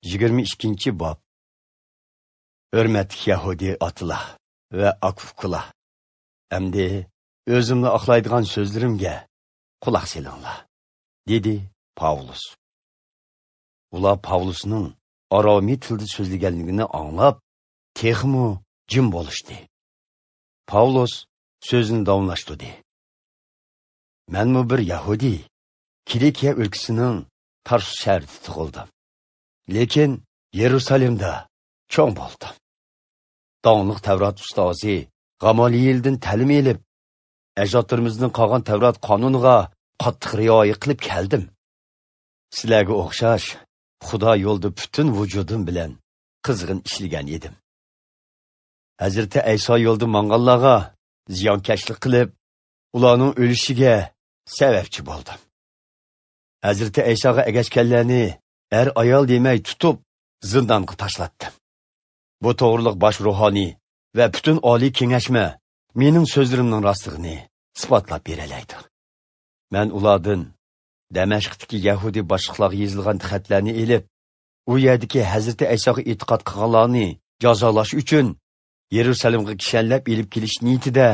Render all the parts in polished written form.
22 bob. Hurmatli Yahudi otalar va aka-ukalar, endi o'zimni oqlaydigan so'zlarimga quloq selinglar, dedi Pavlus. Ular Pavlusning aromiy tilda so'zlaganligini anglab, texmu jim bo'lishdi. Pavlus so'zini davomlashtirdi. Menmi bir Yahudi, Kilikiya o'lkasining Tarsus shahrida tug'ildim. Lekin Yerusalimda cho'ng bo'ldim. Dong'liq Tavrat ustozi Gamalieldan ta'lim elib, ajdodlarimizning qolgan Tavrat qonuniga qattiq rioya qilib keldim. Sizlarga o'xshash Xudo yo'lida butun vujudim bilan qizg'in ishlagan edim. Hazrati Ayso yo'lda manganlarga ziyonkashlik qilib, ularning o'lishiga sababchi bo'ldim. Hazrati Aysoga ergashganlarni ayol demay tutib, zindonga tashlatdim. Bu to'g'riliq bosh ruhoniy va butun oliy kengashma mening so'zlarimning rostligini isbotlab beralaydi. Men ulardan Damashqdagi Yahudi boshliqlarga yozilgan xatlarni elib, u yerdagi Hazrati Aysoga e'tiqod qilganlarni jazolash uchun Yerusalimga kishanlab elib kelish niyatida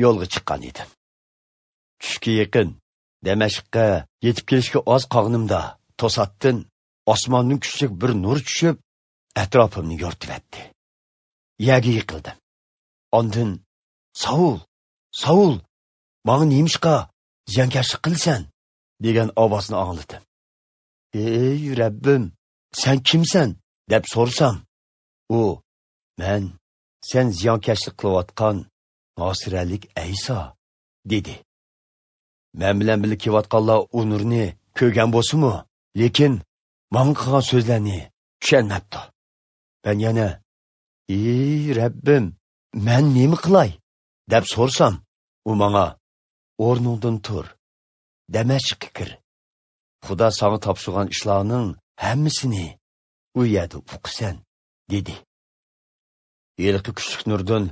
yo'lga chiqqan edim. Tushga yaqin Damashqqa yetib kelishga oz qolganimda to'satdan osmondan kuchli bir nur tushib, atrofimni yoritibdi. Yerga yiqildim. Ondan "Saul, Saul, menga nemishqa ziyonkashlik qilsan?" degan ovozni angladim. "Ey Rabbim, sen kimsan?" deb so'rasam, u "Men sen ziyonkashlik qilayotgan Nasiralik Ayso" dedi. Men bilan birga kelayotganlar u nurni ko'rgan bo'lsa-mu, lekin menga qilgan so'zlarni tushunmabdi. Ben yana "Ey Rabbim, men nima qilay?" deb so'rasam, u menga "O'rningdan tur, Damashqqa kir. Xudo sana topshirgan ishlarning hammasini u yerda o'qisan" dedi. Yilqi kuchli nurdan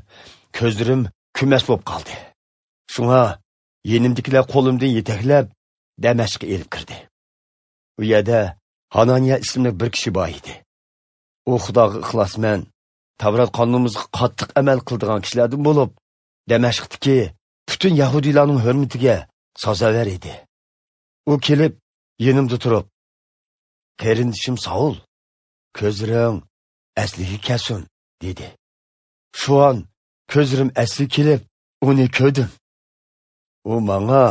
ko'zlarim kumas bo'lib qoldi. Shunga yenimdikilar qo'limdan yetaklab Damashqqa elib kirdi. U yerda Hananiya ismli bir kishi bor edi. U Xudoga ixlosmand, Tavrat qonunimizga qattiq amal qiladigan kishilardan bo'lib, Damashqdagi butun yahudiylarning hurmatiga sazovor edi. U kelib yenimda turib, "Qarindishim Saul, ko'zlaring asliga kelsin" dedi. Shu an ko'zlarim asli kelib, uni ko'rdim. U menga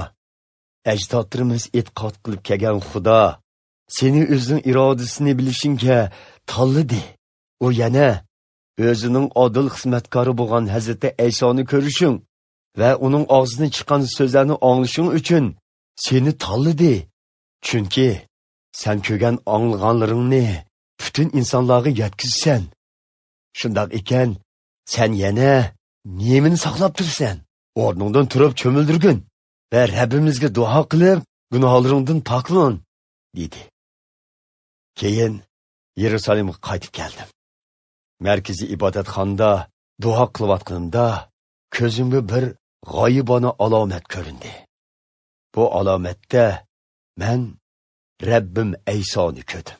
ajdodlarimiz e'tiqod qilib kelgan Xudo seni o'zining irodasini bilishingga tanladi. U yana o'zining odil xizmatkori bo'lgan Hazrati Aysoni ko'rishing va uning og'zidan chiqqan so'zlarni anglashing uchun seni tanladi. Chunki sen ko'rgan anglaganlaringni butun insonlarga yetkazsan. Shundoq ekan, sen yana nemini saqlab tursan? O'rningdan turib cho'mildirgin va Rabbimizga duo qilib, gunohlaringdan poklan" dedi. Keyin Yerusalimga qaytib keldim. Markaziy ibodatxonada duo qilayotganimda ko'zimga bir g'oyibona alomat ko'rindi. Bu alomatda men Rabbim Aysoni ko'rdim.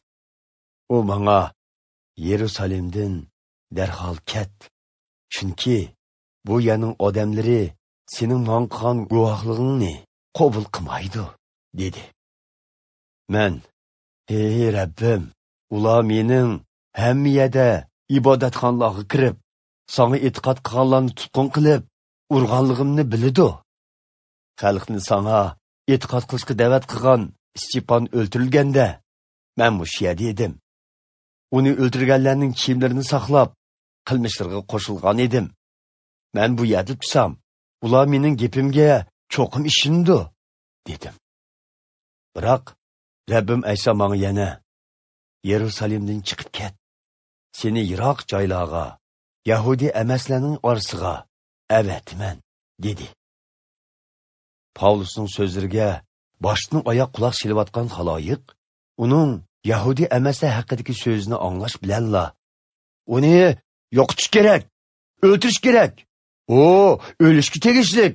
U menga "Yerusalimdan darhol ket, chunki bu yerning odamlari sening men qilgan guvohligingni qabul qilmaydi" dedi. Men "Ey Rabbim, ular mening hamma yerda ibodatxonalarga kirib, sana e'tiqod qilganlarni tutqun qilib, urganligimni biladi. Xalqni sana e'tiqod qilishga da'vat qilgan Istipan o'ldirilganda, men mushu yerda edim. Uni o'ldirganlarning kiyimlarini saqlab, qilmishlariga qo'shilgan edim. Men bu yerda tursam, ular mening gapimga cho'qim ishindi" dedim. Biroq Rabbim Ayso menga yana "Yerusalimdan chiqib ket. Seni yiroq joylarga, Yahudi emaslarning orasiga avatiman" dedi. Pavlusning so'zlariga boshdan oyoq quloq silayotgan xaloyiq uning Yahudi emaslar haqidagi so'zini anglash bilanla "Uni yo'qotish kerak, o'ltirish kerak, u o'lishga tegishlik"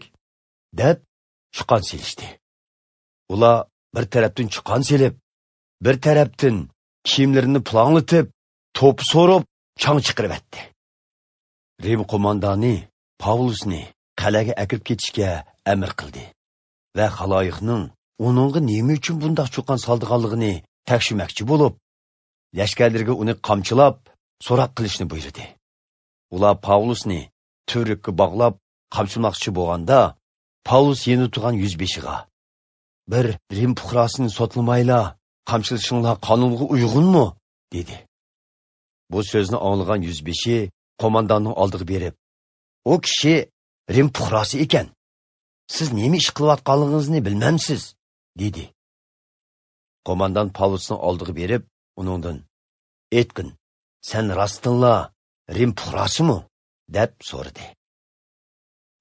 deb chiqon selishdi. Ular bir tarafdan chiqon selib, bir tarafdan kiyimlarini pulanglatib, to'p so'rib, chang chiqaribatdi. Rim qo'mondoni Pavlusni qal'aga akirib ketishga amr qildi va xaloyiqning uningga nima uchun bundoq cho'qon soldiganligini tekshirmoqchi bo'lib, lashkarlarga uni qamchilab, so'roq qilishni buyurdi. Ular Pavlusni turikka bog'lab qamchilamoqchi bo'lganda, Pavlus yeni turgan yuzbeshiga: "Bir Rim fuqarosini sotlamayla qamchilishinglar qonunga uyg'unmi?" dedi. Bu so'zni anglagan yuzbeshi qo'mondonning oldiga berib, "O kishi Rim fuqarosi ekan. Siz nima ish qilayotganligingizni bilmamsiz?" dedi. Qo'mondon Pavlusning oldiga berib, uningdan: "Aytqin, sen rostdanla Rim fuqarosimi?" deb so'radi.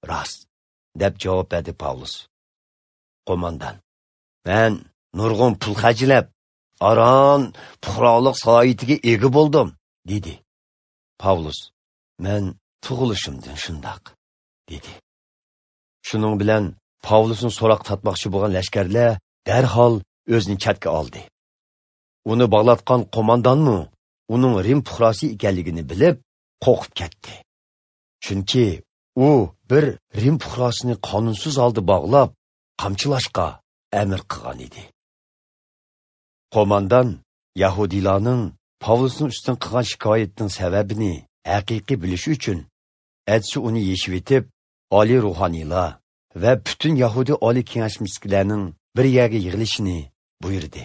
"Rost", deb javob berdi Pavlus. Qo'mondon: "Men nurg'un pul xarjlab, aron fuqarolik salohiyatiga ega bo'ldim", dedi. Pavlus: "Men tug'ilishimdan shundoq", dedi. Shuning bilan Pavlusni so'roq tortmoqchi bo'lgan lashkarlar darhol o'zini chatga oldi. Uni bog'latgan qo'mondonmi uning Rim fuqarosi ekanligini bilib, qo'rqib ketdi. Chunki u bir Rim fuqarosini qonunsiz holda bog'lab, qamchilashga amr qilgan edi. Qo'mondon yahudiylarning Pavlusning ustidan qilgan shikoyatining sababini haqiqiy bilish uchun atsi uni yeshib etib, oliy ruhoniylar va butun yahudi oliy kengashmiskilarning bir yerga yig'ilishini buyurdi.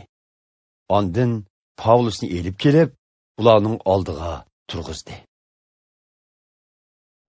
Ondan Pavlusni elib kelib, ularning oldiga turg'izdi.